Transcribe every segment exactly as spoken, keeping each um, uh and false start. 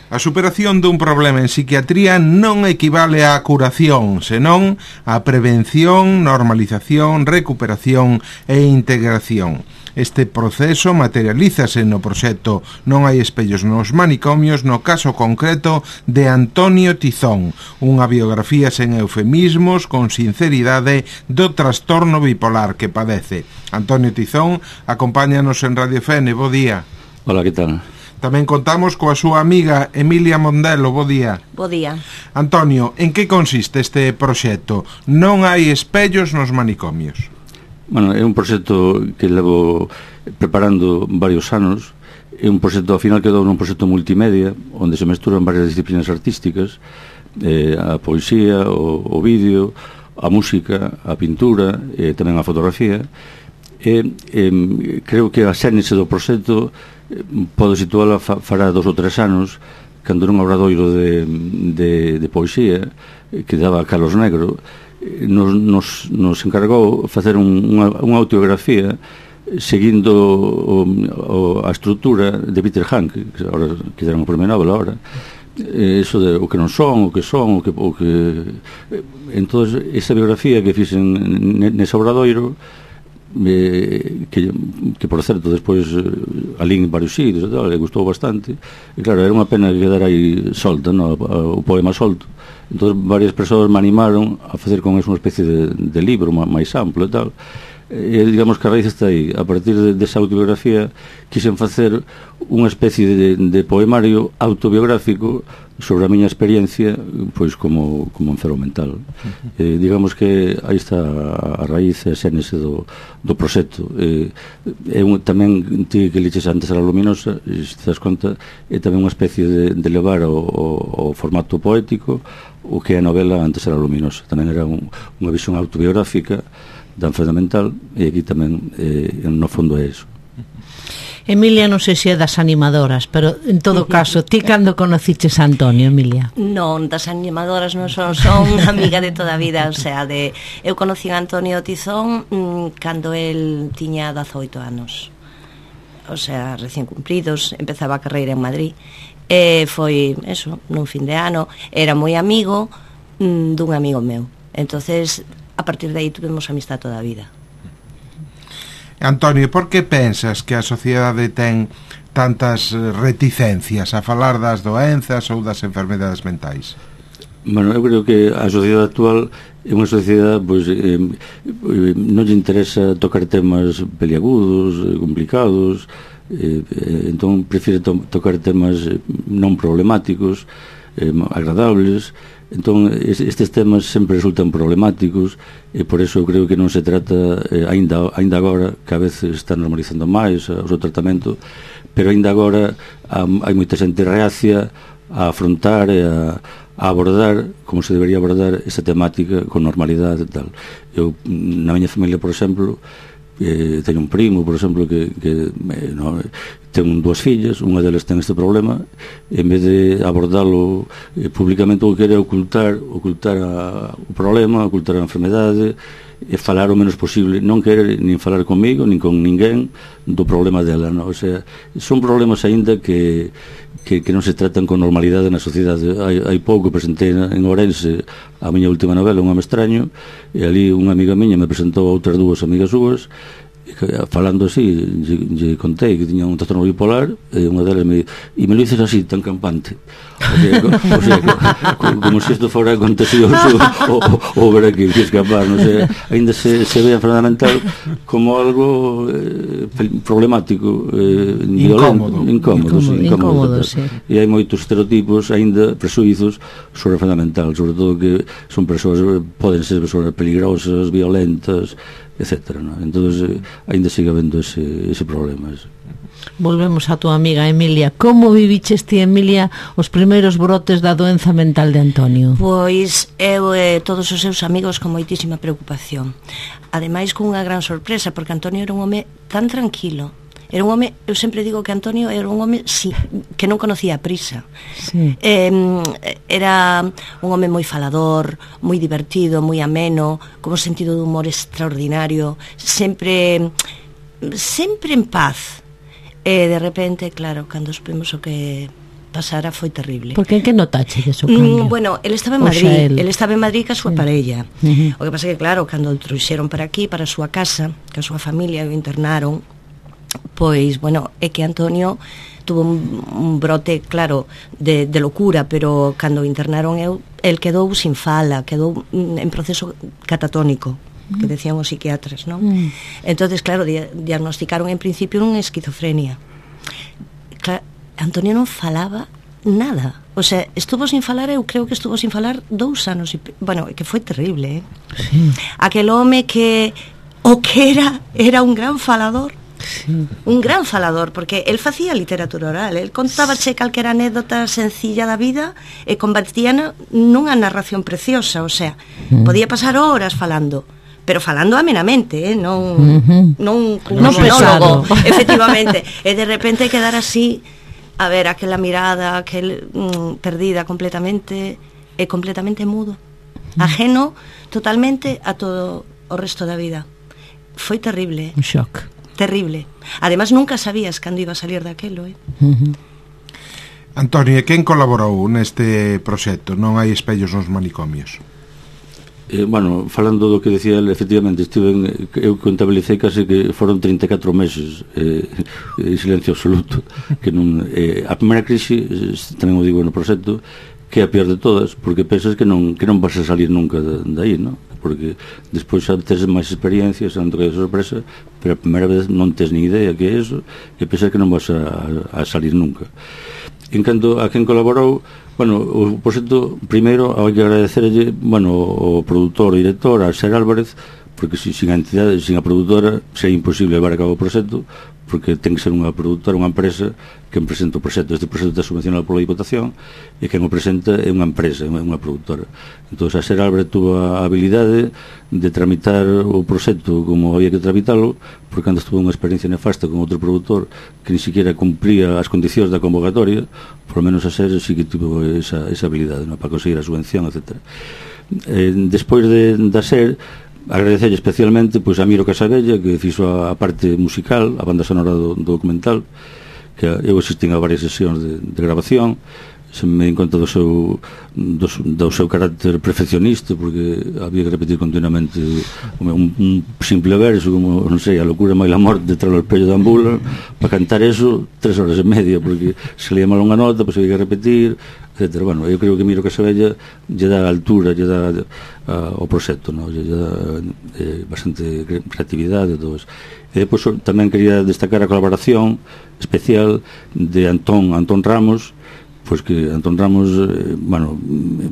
A superación dun problema en psiquiatría non equivale á curación, senón á prevención, normalización, recuperación e integración. Este proceso materialízase no proxecto Non hai espellos nos manicomios, no caso concreto de Antonio Tizón, unha biografía sen eufemismos, con sinceridade do trastorno bipolar que padece. Antonio Tizón acompáñanos en Radio F N, bo día. Hola, que tal? Tamén contamos coa súa amiga Emilia Mondelo, bo día. Bo día. Antonio, en que consiste este proxecto Non hai espellos nos manicomios? Bueno, é un proxecto que levo preparando varios anos. É un proxecto, ao final quedou nun proxecto multimedia, onde se mesturan varias disciplinas artísticas, eh, a poesía, o, o vídeo, a música, a pintura e tamén a fotografía. E eh, creo que a xénese do proxecto podo situala fa, fará dos ou tres anos, cando nun obradoiro de, de, de poesía que daba Carlos Negro, nos, nos, nos encargou facer un, unha, unha autobiografía seguindo o, o, a estrutura de Peter Hank, que agora que deron o premio Nobel agora, eso de o que non son, o que son, o que, o que... Entón, esa biografía que fixen nese obradoiro, Eh, que, que por certo despois eh, alín en varios sitios e tal, le gustou bastante, e claro, era unha pena que quedara aí solta, no? O poema solto. Entón varias persoas me animaron a facer con eso unha especie de, de libro máis amplo e tal, e digamos que a raíz está aí. A partir de, desa autobiografía quixen facer unha especie de, de poemario autobiográfico sobre a miña experiencia, pois como, como enfermo mental. Uh-huh. Eh, digamos que aí está a, a raíz e a xénese do, do proxecto. Eh, é un, tamén, ti que liches antes a La Luminosa, se te das conta, é tamén unha especie de, de levar o, o, o formato poético o que é a novela antes a La Luminosa. Tamén era un, unha visión autobiográfica da enferma mental, e aquí tamén, eh, no fondo, é iso. Emilia, non sei se é das animadoras, pero en todo caso, ti cando conociches a Antonio, Emilia? Non, das animadoras non son, son amiga de toda a vida, o sea, de eu conocí a Antonio Tizón mmm, cando el tiña dezoito anos, o sea, recién cumpridos, empezaba a carreira en Madrid, e foi, eso, nun fin de ano, era moi amigo mmm, dun amigo meu, entonces a partir de aí tuvemos amistad toda a vida. Antonio, por que pensas que a sociedade ten tantas reticencias a falar das doenzas ou das enfermedades mentais? Bueno, eu creo que a sociedade actual é unha sociedade, pois, eh, non lle interesa tocar temas peliagudos, complicados, eh, eh, entón prefire to tocar temas non problemáticos, eh, agradables. Entón, estes temas sempre resultan problemáticos, e por eso eu creo que non se trata, eh, ainda, ainda agora, que a veces está normalizando máis o seu tratamento, pero ainda agora um, hai moita xente reacia a afrontar e a, a abordar como se debería abordar esa temática con normalidade e tal. Eu, na miña familia, por exemplo, eh, teño un primo, por exemplo, que, que eh, no, ten dúas fillas, unha delas ten este problema, e en vez de abordalo eh, públicamente, o que quere ocultar ocultar a, o problema, ocultar a enfermedade, e falar o menos posible, non querer nin falar comigo, nin con ninguén do problema dela, no? O sea, son problemas aínda que que, que non se tratan con normalidade na sociedade. Hai, hai pouco presentei en Ourense a miña última novela, Un home extraño, e ali unha amiga miña me presentou a outras dúas amigas súas, falando así, lle, lle contei que tiña un trastorno bipolar, e unha delas me e me lo dices así, tan campante, o sea, o sea que, como, como se isto fora contagioso ou, ou ver aquí que escapar, non sei, ainda se, se ve a enfermedade mental como algo eh, problemático, eh, violento, incómodo, incómodo, sí, incómodo, incómodo sí. E hai moitos estereotipos, ainda presuizos sobre a enfermedade mental, sobre todo que son persoas, poden ser persoas peligrosas, violentas, etcétera, ¿no? Entonces eh, ainda sigue habendo ese, ese problema ese. Volvemos a tua amiga Emilia. Como viviches ti, Emilia, os primeiros brotes da doenza mental de Antonio? Pois eu e eh, todos os seus amigos con moitísima preocupación, ademais con unha gran sorpresa, porque Antonio era un home tan tranquilo. Era un home, eu sempre digo que Antonio era un home sí, que non conocía a prisa. Sí. Eh, era un home moi falador, moi divertido, moi ameno, con un sentido de humor extraordinario, sempre sempre en paz. E de repente, claro, cando supimos o que pasara foi terrible. Porque en que notache eso? Mm, bueno, ele estaba en Madrid, él. ele estaba en Madrid ca súa Sí. parella. Uh-huh. O que pasa que, claro, cando o trouxeron para aquí, para a súa casa, que a súa familia o internaron, pois, bueno, é que Antonio tuvo un, un brote, claro, de, de locura, pero cando o internaron eu, el quedou sin fala, quedou mm, en proceso catatónico, que decían os psiquiatras, non? Mm. Entonces, claro, di- diagnosticaron en principio unha esquizofrenia. Claro, Antonio non falaba nada. O sea, estuvo sin falar, eu creo que estuvo sin falar dous anos e, pe- bueno, que foi terrible, eh? Sí. Aquel home que o que era, era un gran falador. Sí. Un gran falador, porque el facía literatura oral, el contábache calquera anécdota sencilla da vida e convertíana nunha narración preciosa, o sea, Mm. podía pasar horas falando, pero falando amenamente, eh, non Ujú. non cun Non monólogo, pesado. efectivamente, e de repente quedar así, a ver, aquela mirada, aquel mm, perdida completamente, e completamente mudo, ajeno totalmente a todo o resto da vida. Foi terrible, Un shock. terrible. Además, nunca sabías cando iba a salir daquelo, eh? Uh-huh. Antonio, e quen colaborou neste proxecto? Non hai espellos nos manicomios. Eh, bueno, falando do que decía ele, efectivamente, estive en, eu contabilicei case que foron trinta e catro meses eh, en silencio absoluto, que non, eh, a primeira crise, eh, tamén o digo no proxecto, que é a peor de todas, porque pensas que non, que non vas a salir nunca de, de aí, non? Porque despois xa tes máis experiencias, non te quedas sorpresa, pero a primeira vez non tes ni idea que é eso, e pensas que non vas a, a salir nunca. En canto a quen colaborou, bueno, o proxecto, primeiro, hai que agradecerlle, bueno, o produtor e director, a Ser Álvarez, porque si, sin a entidade, sin a produtora, é imposible levar a cabo o proxecto, porque ten que ser unha produtora, unha empresa que presenta o proxecto. Este proxecto está subvencionado pola Diputación e quen o presenta é unha empresa, é unha produtora. Entón, a Ser Álvarez tuvo a habilidade de tramitar o proxecto como había que tramitalo, porque cando estuvo unha experiencia nefasta con outro produtor que ni siquiera cumpría as condicións da convocatoria, por lo menos a Ser sí que tuvo esa, esa habilidade, ¿no?, para conseguir a subvención, etcétera. Eh, despois de, da Ser, agradecerlle especialmente pois a Miro Casabella, que fixo a, a parte musical, a banda sonora do, do documental, que eu asistín a varias sesións de, de grabación, se me en conta do seu do, do seu carácter perfeccionista, porque había que repetir continuamente un, un simple verso como, non sei, a locura máis la morte detrás do espello da ambula, para cantar eso tres horas e media, porque se leía mal unha nota, pois había que repetir, etcétera. Bueno, eu creo que Miro Casabella lle dá a altura, lle dá uh, o proxecto, no? lle dá eh, bastante creatividade e todo eso. E depois tamén quería destacar a colaboración especial de Antón Antón Ramos, pois que Antón Ramos, eh, bueno,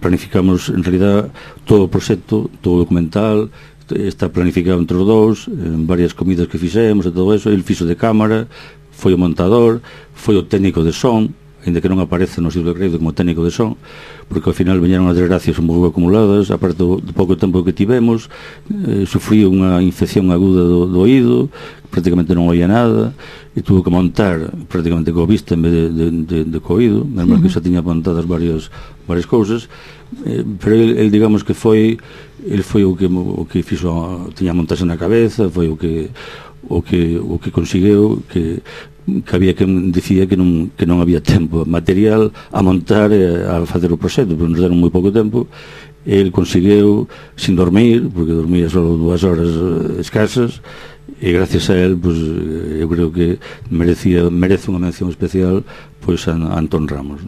planificamos en realidad todo o proxecto, todo o documental, está planificado entre os dous, en varias comidas que fixemos e todo eso. El fixo de cámara, foi o montador, foi o técnico de son, ainda que non aparece no libro de crédito como técnico de son, porque ao final veñeron as desgracias un pouco acumuladas, aparte do, do pouco tempo que tivemos, eh, sufrí unha infección aguda do, do oído, prácticamente non oía nada, e tuvo que montar prácticamente co vista en vez de, de, de, de co oído, mesmo uh-huh. que xa tiña montadas varias, varias cousas, eh, pero el, el digamos que foi el foi o que, o que fixo, tiña montaxe na cabeza, foi o que o que, o que conseguiu que que había quen dicía que non, que non había tempo material a montar e a facer o proxecto, porque nos deron moi pouco tempo. El conseguiu sin dormir, porque dormía só dúas horas escasas, e gracias a él, pues, eu creo que merecía, merece unha mención especial, pois, a, a Antón Ramos.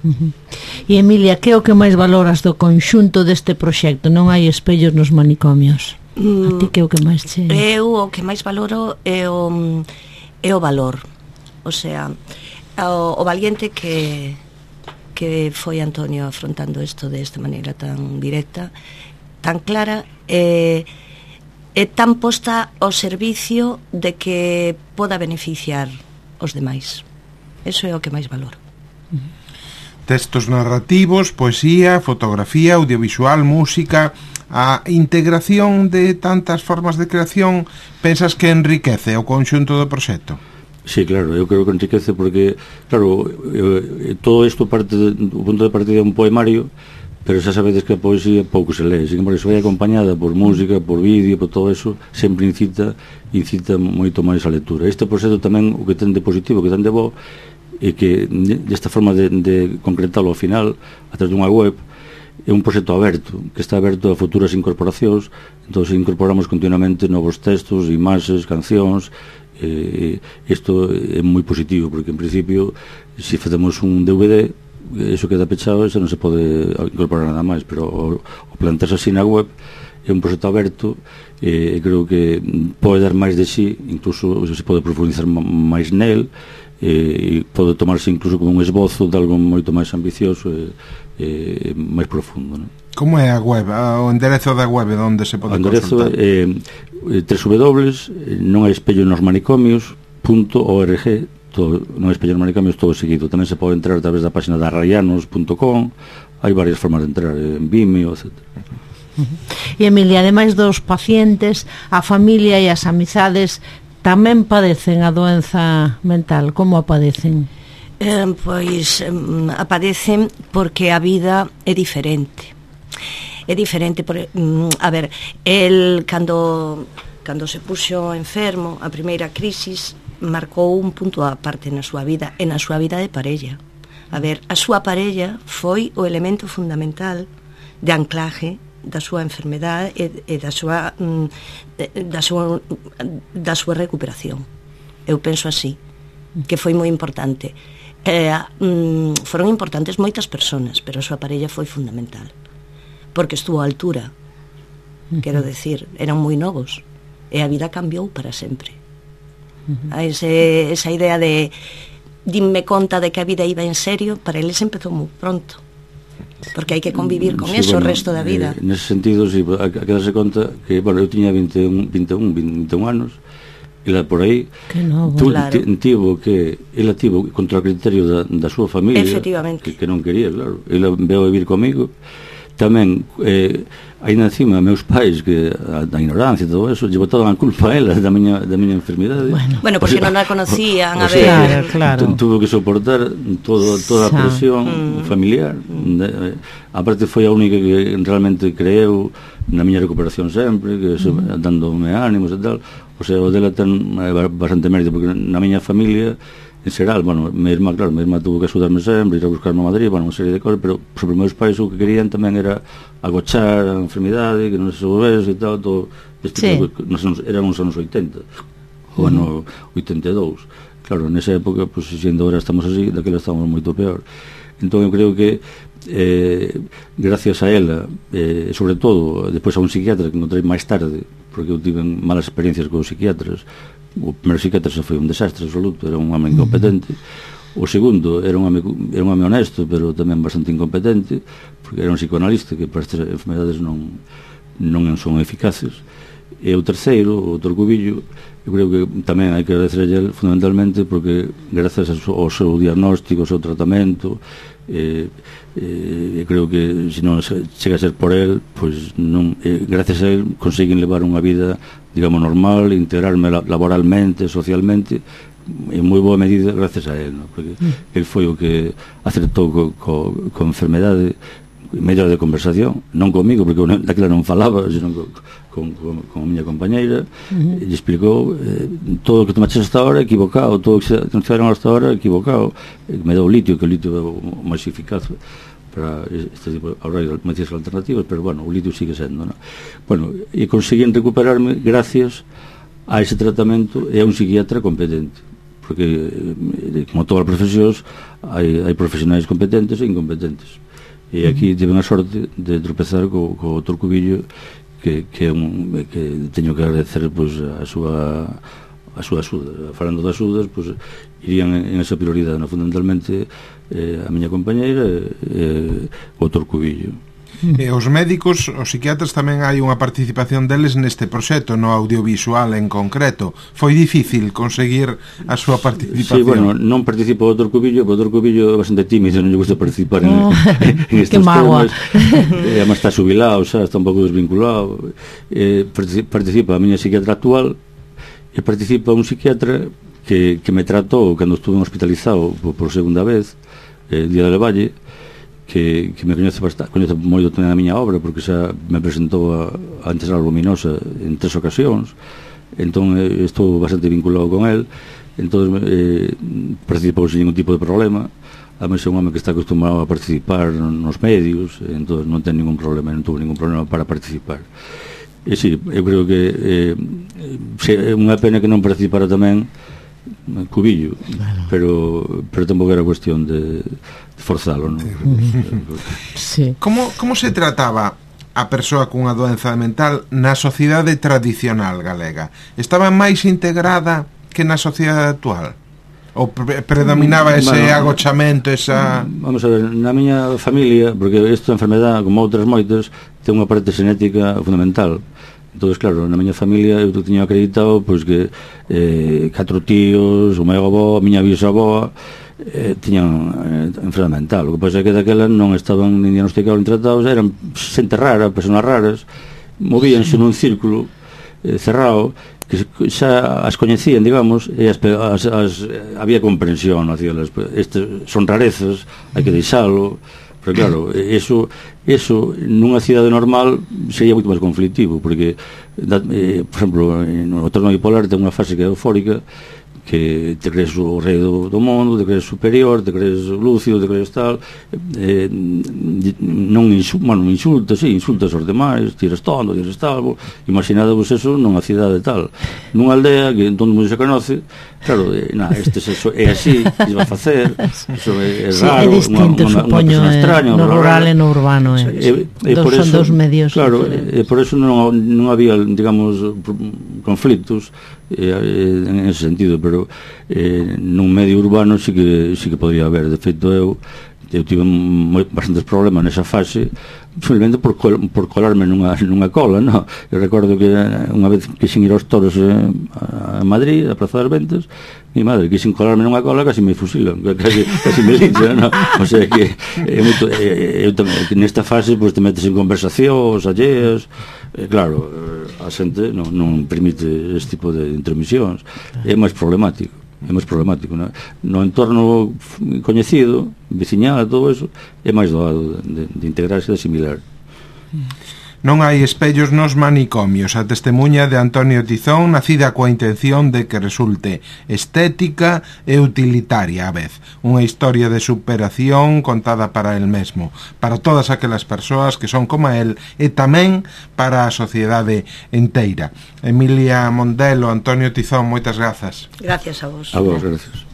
Uh-huh. E Emilia, que é o que máis valoras do conxunto deste proxecto? Non hai espellos nos manicomios. Mm, a ti que é o que máis che... Eu o que máis valoro é o... é o valor, o sea, o, o valiente que que foi Antonio afrontando isto de esta maneira tan directa, tan clara e, e tan posta ao servicio de que poda beneficiar os demais. Eso é o que máis valoro. Textos narrativos, poesía, fotografía, audiovisual, música, a integración de tantas formas de creación, pensas que enriquece o conxunto do proxecto? Sí, claro, eu creo que enriquece porque, claro, eu, todo isto parte de, o punto de partida é un poemario, pero xa sabedes que a poesía pouco se lee, sin embargo, se vai acompañada por música, por vídeo, por todo eso, sempre incita incita moito máis a lectura. Este proxecto tamén, o que ten de positivo, o que ten de bo, e que desta forma de, de concretarlo ao final a través dunha web é un proxecto aberto, que está aberto a futuras incorporacións. Entón incorporamos continuamente novos textos, imaxes, cancións. Eh, isto é moi positivo, porque en principio se facemos un D V D, eso queda pechado e xa non se pode incorporar nada máis, pero o, o plantarse así na web é un proxecto aberto e eh, creo que pode dar máis de sí, incluso se pode profundizar máis nel, e eh, pode tomarse incluso como un esbozo de algo moito máis ambicioso e eh, máis profundo, non? Como é a web? O enderezo da web onde se pode consultar? O enderezo é eh, w w w non hai espello nos manicomios punto org, todo, non hai espello nos manicomios todo seguido. Tamén se pode entrar a través da página da rayanos punto com, hai varias formas de entrar, en Vimeo, etcétera. E Emilia, ademais dos pacientes, a familia e as amizades tamén padecen a doenza mental. Como a padecen? Eh, pois eh, aparecen porque a vida é diferente. É diferente, por, mm, a ver, el cando cando se puxo enfermo, a primeira crisis marcou un punto a parte na súa vida e na súa vida de parella. A ver, a súa parella foi o elemento fundamental de anclaje da súa enfermedade e, e da súa mm, da súa da súa recuperación. Eu penso así, que foi moi importante. Eh, mm, foron importantes moitas persoas, pero a súa parella foi fundamental, porque estuvo a altura. Uh-huh. Quero decir, eran moi novos e a vida cambiou para sempre. Uh-huh. A ese, esa idea de dinme conta de que a vida iba en serio, para eles empezou moi pronto, porque hai que convivir con sí, eso bueno, o resto da vida. Eh, nese sentido, sí, a, a que darse conta que, bueno, eu tiña vinte e un, vinte e un, vinte e un anos, e lá por aí tu, claro. tivo que ela tivo contra o criterio da, da súa familia que, que non quería, claro, ela veio a vivir comigo tamén, eh, ainda encima meus pais, que a, da ignorancia e todo eso, lle botaban a culpa a ela da miña, da miña enfermidade, bueno, bueno porque o sea, non a conocían, a ver, claro, claro. Tuvo que soportar todo, toda a presión mm. familiar. De, aparte foi a única que realmente creeu na miña recuperación sempre, que se, mm. dándome ánimos e tal. O sea, o dela ten bastante mérito, porque na miña familia en xeral, bueno, mi irmá, claro, mi irmá tuvo que axudarme sempre, ir a buscarme a Madrid, bueno, unha serie de cosas, pero sobre meus pais o que querían tamén era agochar a enfermidade, que non se volvese e tal, todo este sí. tipo, nos, eran uns anos oitenta, o ano oitenta e dous. Claro, nesa época, pues, sendo ahora estamos así, daquela estamos moito peor. Entón, eu creo que eh, gracias a ela, eh, sobre todo, despois a un psiquiatra que encontrei máis tarde, porque eu tive malas experiencias con os psiquiatras. O primeiro psiquiatra xa foi un desastre absoluto, era un home incompetente. O segundo era un home, era un home honesto, pero tamén bastante incompetente, porque era un psicoanalista que para estas enfermedades non, non son eficaces. E o terceiro, o doutor Cubillo, eu creo que tamén hai que agradecer a él fundamentalmente porque gracias ao seu diagnóstico, ao seu tratamento, eh, eh, creo que se non chega a ser por él, pois non, eh, gracias a él conseguen levar unha vida, digamos, normal, integrarme laboralmente, socialmente, en moi boa medida gracias a él, ¿no? Porque mm. él foi o que acertou co, co, co enfermedade, mellor de conversación, non comigo, porque daquela non falaba, senón co, con, con, con a miña compañeira, uh-huh. e explicou eh, todo o que tomaches hasta ahora equivocado, todo o que se fizeron hasta ahora equivocado. Me dou litio, que o litio é o máis eficaz para este tipo de medicinas alternativas, pero bueno, o litio sigue sendo, ¿no? Bueno, e conseguín recuperarme gracias a ese tratamento e a un psiquiatra competente, porque como todas as profesións hai, hai profesionais competentes e incompetentes, e aquí tive a sorte de tropezar co, co doutor Cubillo, que, que, un, que teño que agradecer, pois, a súa a súa axuda. Falando de axudas, pois, irían en esa prioridade, no? Fundamentalmente eh, a miña compañeira e eh, o doutor Cubillo. E os médicos, os psiquiatras, tamén hai unha participación deles neste proxecto, no audiovisual en concreto. Foi difícil conseguir a súa participación? Sí, bueno, non participo o doutor Cubillo, o doutor Cubillo é bastante tímido, non lle gusta participar en, oh, en estes temas. Eh, además está xubilado, xa, está un pouco desvinculado. Eh, participa a miña psiquiatra actual e participa un psiquiatra que, que me tratou cando estuve hospitalizado por, por segunda vez, eh, Día de Valle, que, que me coñece bastante, coñece moito tamén a miña obra, porque xa me presentou a, a Antesala Luminosa en tres ocasións. Entón eh, estou bastante vinculado con el, entón eh, participou sin ningún tipo de problema. Ademais é un home que está acostumado a participar nos medios, entón non ten ningún problema, non tuvo ningún problema para participar. E si, eu creo que eh, é unha pena que non participara tamén Cubillo, bueno. pero pero tampouco era cuestión de, de forzalo, non? Sí. Como, como se trataba a persoa cunha doenza mental na sociedade tradicional galega? Estaba máis integrada que na sociedade actual? Ou pre predominaba ese bueno, agochamento, esa... Vamos a ver, na miña familia, porque esta enfermedade, como outras moitas, ten unha parte xenética fundamental. Entón, claro, na miña familia eu tiña acreditado pois que eh, catro tíos, o meu avó, a miña bisavó eh, tiñan eh, enfermedade mental. O que pasa é que daquela non estaban nin diagnosticados nin tratados, eran xente rara, persoas raras, movíanse nun círculo eh, cerrado, que xa as coñecían, digamos, e as, as, as, había comprensión hacia las, estes son rarezas, hai que deixalo. Pero claro, eso, eso nunha cidade normal sería moito máis conflictivo, porque, eh, por exemplo, no trastorno bipolar ten unha fase que é eufórica, que te crees o rei do, do mundo, te crees superior, te crees lúcido, te crees tal, eh, non insultas, bueno, insultas, sí, insultas aos demais, tiras tonto, tiras tal, imaginadevos eso nunha cidade tal, nunha aldea que todo mundo se conoce, claro, eh, na, este sexo é así, que se va a facer, eso é, é sí, raro, é distinto, unha, unha, supoño, unha extraña, no rural e no urbano, é, e, e dos, por son eso, dos medios claro, diferentes. e por eso non, non había, digamos, conflictos eh, en ese sentido, pero eh, nun medio urbano sí que, sí que podría haber. De feito, eu eu tive moi, bastantes problemas nesa fase, simplemente por, col, por colarme nunha, nunha cola, no? Eu recordo que unha vez quixen ir aos toros eh, a Madrid, a Praza das Ventas, mi madre quixen colarme nunha cola, casi me fusilan, casi, casi me linchan, no? O sea que é moito, eh, eu tamén, nesta fase pues, te metes en conversacións alleas, eh, claro, a xente non, non permite este tipo de intromisións, é máis problemático. É máis problemático, non? No entorno coñecido, veciñal, todo eso, é máis doado de, de integrarse e de asimilar. Non hai espellos nos manicomios. A testemunha de Antonio Tizón, nacida coa intención de que resulte estética e utilitaria á vez. Unha historia de superación contada para el mesmo, para todas aquelas persoas que son como el e tamén para a sociedade inteira. Emilia Mondelo, Antonio Tizón, moitas grazas. Gracias a vos. A vos, gracias.